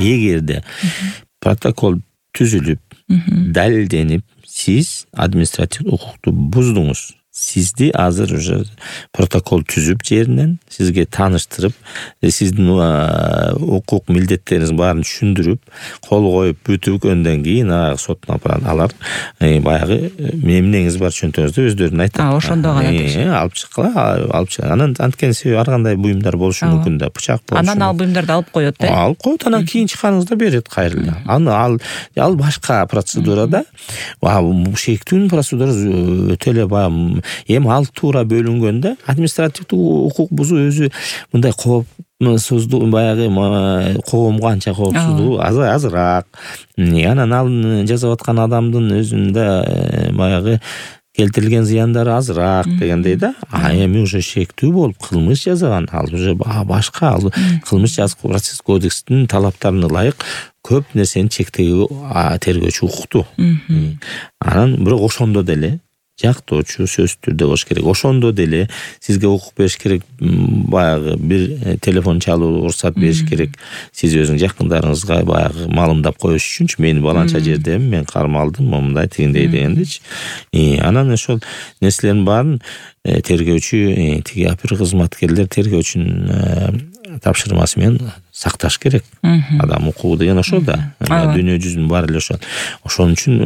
эгерде протокол түзүлүп, далилденип, сиз административдик укукту буздуңуз. Сизди азыр уже протокол түзүп жеринен сизге тааныштырып, сиздин укук милдеттериңиз баарын түшүндүрүп, кол коюп бүтүгөндөн кийин соттун алар баягы эмнеңиз бар чөнтөгүңүздү өздөрүн айтат. Ошондо гана алып чыккыла. Анан анткени себеби ар кандай буюмдар болушу мүмкүн да, бычак болушу. Анан ал буюмдарды алып коет, Алып коет, анан кийин чыкканыңызда берет кайрылы. Ал башка процедурада, бул шектүүнүн процедурасы өтө эле баягы эми ал туура бөлүнгөндө административдик укук бузуу өзү мындай коопсуздук, баягы коомго анча коопсуздугу азыраак. Анан ал жасап аткан адамдын өзүндө баягы келтирилген зыяндары азыраак дегендей да. Эми уже шектүү болуп кылмыш жасаган, ал уже башка, ал кылмыш жазык процесс кодекстин талаптарына ылайык көп нерсени чектөөгө тергөөчү укуктуу. Анан бирок ошондо деле жактоочу сөзсүз түрдө болуш керек. Ошондо деле сизге укук бериш керек, баягы бир телефон чалуу уруксат бериш керек. Сиз өзүң жакындарыңызга баягы маалымдап коюш үчүнчү, мен баланча жердемин, мен кармалдым, момундай тигиндей дегендичи. Анан ошол нерселердин баарын тергөөчү, тиги опер кызматкерлер тергөөчүнүн тапшырмасы менен сакташ керек. Адам укугу деген ошол да. Дүйнө жүзүнүн баары эле ошол. Ошон үчүн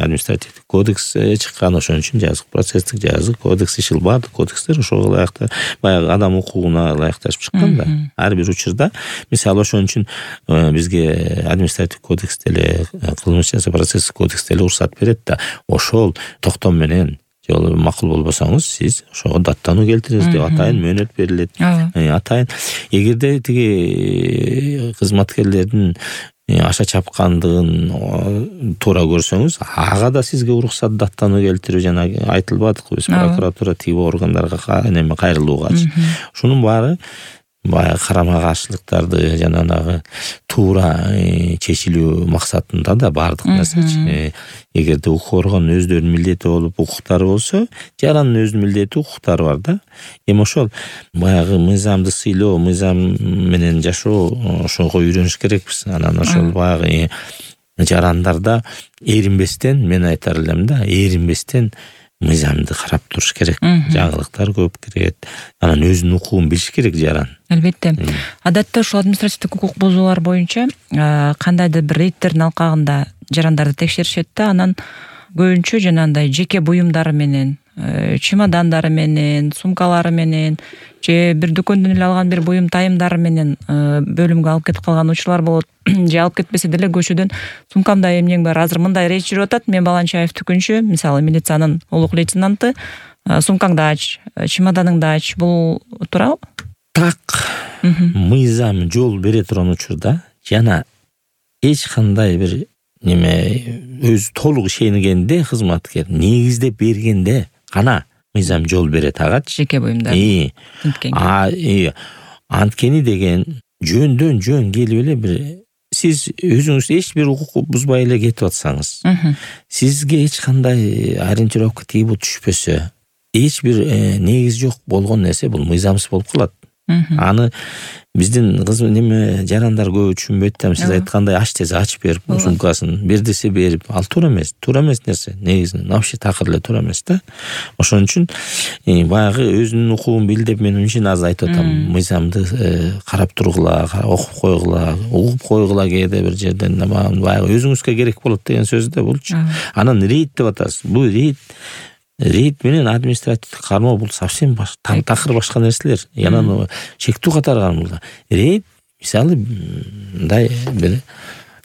административдик кодекс чыккан, ошон үчүн жазык процесстик жазык кодекс ишил, баардык кодекстер ошого ылайыктуу, баягы адам укугуна ылайыкташып чыккан да. Ар бир учурда, мисалы ошон үчүн бизге административдик кодекс деле, кылмыш жаза процесстик кодекс деле уруксат берет да. Ошол токтом менен жолу макул болбосоңуз, сиз ошого даттануу келтириңиз деп атайын мөөнөт берилет. Атайын эгерде тиги кызматкерлердин аша чапкандыгын туура көрсөңүз, ага да сизге уруксат даттануу келтирүү, жана айтылбадыкпы биз прокуратура тиги органдарга кайрылуугачы. Ушунун баары баягы карама каршылыктарды жанагы туура чечилүү максатында да баардык нерсечи. Эгерде укук орган өздөрүнүн милдети болуп, укуктары болсо, жарандын өзүнүн милдети, укуктары бар да. Эми ошол баягы мыйзамды сыйлоо, мыйзам менен жашоо, ошого үйрөнүш керекпиз. Анан ошол баягы жарандарда эринбестен, мен айтар элем да, эринбестен мыйзамды карап туруш керек. Жаңылыктар көп кирет. Анан өзүнүн укугун билиш керек жаран. Албетте. Адатта ушул административдик укук бузуулар боюнча кандайдыр бир рейдтердин алкагында жарандарды текшеришет да, анан көбүнчө жанагындай жеке буюмдары менен, чемодандары менен, сумкалары менен, же бир дүкөндөн эле алган бир буюм тайымдары менен бөлүмгө алып кетип калган учурлар болот. Же алып кетпесе деле көчөдөн сумкамда эмнең бар, азыр мындай рейд жүрүп атат, мен Баланчаев дүкөнчү, мисалы милициянын улук лейтенанты, сумкаңды ач, чемоданыңды ач, бул туурабы? Так, мыйзам жол бере турган учурда жана эч кандай бир өзү толук ишенгенде кызматкер негиздеп бергенде гана мыйзам жол берет агачы. Жеке буюмдар. Анткени деген жөндөн жөн келип эле бир сиз өзүңүз эч бир укук бузбай эле кетип атсаңыз, сизге эч кандай ориентировка тийип түшпөсө, эч бир негизи жок болгон нерсе бул мыйзамсыз болуп калат. Аны биздин жарандар көп түшүнбөйт да. Сиз айткандай ач десе ачып берип, сумкасын бер десе берип, ал туура эмес нерсе. Негизинен вообще такыр эле туура эмес да. Ошон үчүн баягы өзүнүн укугун бил деп мен үчүн азыр айтып атам. Мыйзамды карап тургула, окуп койгула кээде бир жерден баягы өзүңүзгө керек болот деген сөз да булчу. Анан рейд деп атасыз. Бул рейд менен административдик кармоо бул совсем такыр башка нерселер. Анан чектүү катарган бул. Рейд мисалы мындай бир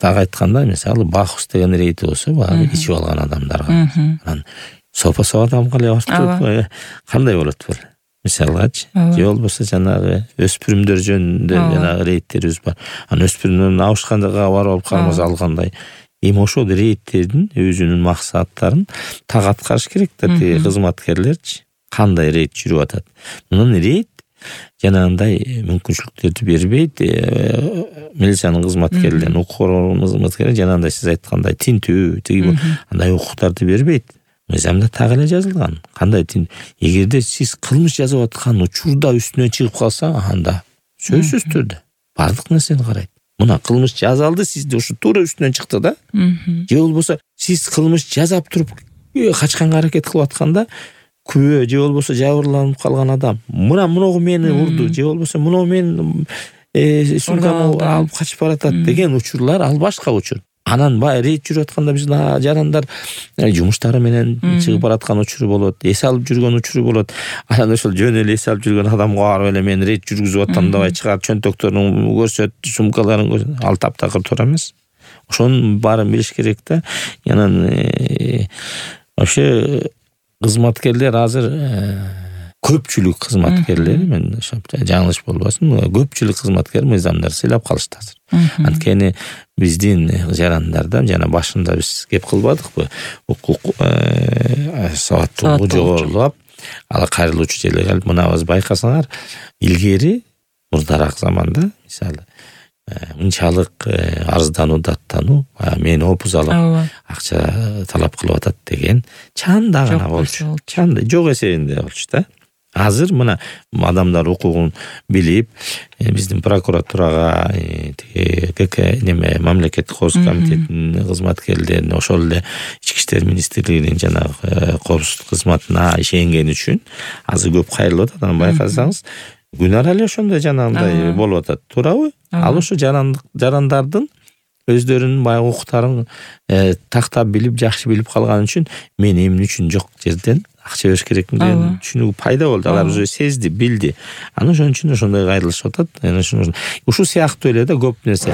так айтканда, мисалы Бахус деген рейд болсо, баягы ичип алган адамдарга. Анан сопа адамга эле барып кандай болот бул? Мисалгачы, же болбосо жанагы өспүрүмдөр жөнүндө жанагы рейдтерибиз бар. Анан өспүрүмдөрдүн абышканга барып алып кармаса алгандай. Эми ошол рейдтердин өзүнүн максаттарын так аткарыш керек да кызматкерлерчи. Кандай рейд жүрүп атат? Мунун рейд жанагындай мүмкүнчүлүктөрдү бербейт. Милициянын кызматкерлерин, укук органынын кызматкерлери жанагындай сиз айткандай тинтүү, тиги андай укуктарды бербейт. Мыйзамда так эле жазылган. Кандай эгерде сиз кылмыш жасап аткан учурда үстүнөн чыгып калса, анда сөзсүз түрдө бардык нерсени карайт. мына кылмыш жазалды, сизде ушу туура үстүнөн чыкты да. Же болбосо сиз кылмыш жазап туруп качканга аракет кылып атканда күбө же болбосо жабырланып калган адам муногу мени урду же болбосо муногу мен сумкамды алып качып баратат деген учурлар ал башка учур. Анан баягы рейд жүрүп атканда биздин жарандар жумуштары менен чыгып бараткан учуру болот, эс алып жүргөн учуру болот. Анан ошол жөн эле эс алып жүргөн адамга барып эле мен рейд жүргүзүп атам дабай чыгар, чөнтөктөрүн көрсөт, сумкаларын көрсөт, ал таптакыр туура эмес. Ошонун баарын билиш керек да. Анан вообще кызматкерлер азыр көпчүлүк кызматкерлер, мен жаңылыш болбосун, көпчүлүк кызматкер мыйзамдар сыйлап калышты азыр. Анткени биздин жарандарда жана башында биз кеп кылбадыкпы, укук сабаттуулугу жогорулап, ала кайрылуучу жерге келип, мынабыз байкасаңар, илгери мурдараак заманда мисалы мынчалык арыздануу, даттануу, мени опуз алып акча талап кылып атат деген чанда гана болчу. Чанда жок эсебинде болчу да. Азыр мына адамдар укугун билип, биздин прокуратурага, мамлекеттик коопсуздук комитетинин кызматкерлерине, ошол эле Ички иштер министрлигинин жанагы коопсуздук кызматына ишенгени үчүн азыр көп кайрылып атат. Анан байкасаңыз, күнара эле ошондой жанагындай болуп атат, туурабы? Ал ошо жарандардын өздөрүнүн баягы укуктарын тактап билип, жакшы билип калган үчүн мен эмне үчүн жок жерден акча бериш керек деген түшүнүү пайда болду. Алар уже сезди, билди. Анан ошон үчүн ошондой кайрылышып атат. Ушул сыяктуу эле да көп нерсе.